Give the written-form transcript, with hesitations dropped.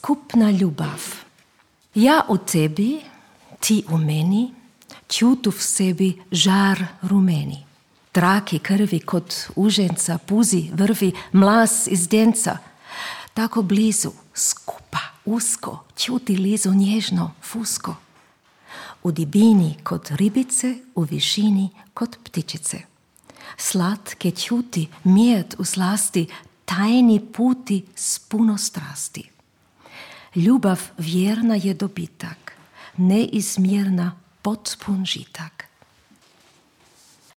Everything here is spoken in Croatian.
Skupna ljubav. Ja u tebi, ti u meni, čutu v sebi žar rumeni. Traki krvi kod uženca, puzi vrvi mlas iz denca. Tako blizu, skupa, usko, čuti lizu nježno, fusko. U dibini kod ribice, u višini kod ptičice. Slatke čuti, mjed u slasti, tajni puti s puno strasti. Ljubav vjerna je dobitak, neizmjerna potpun žitak.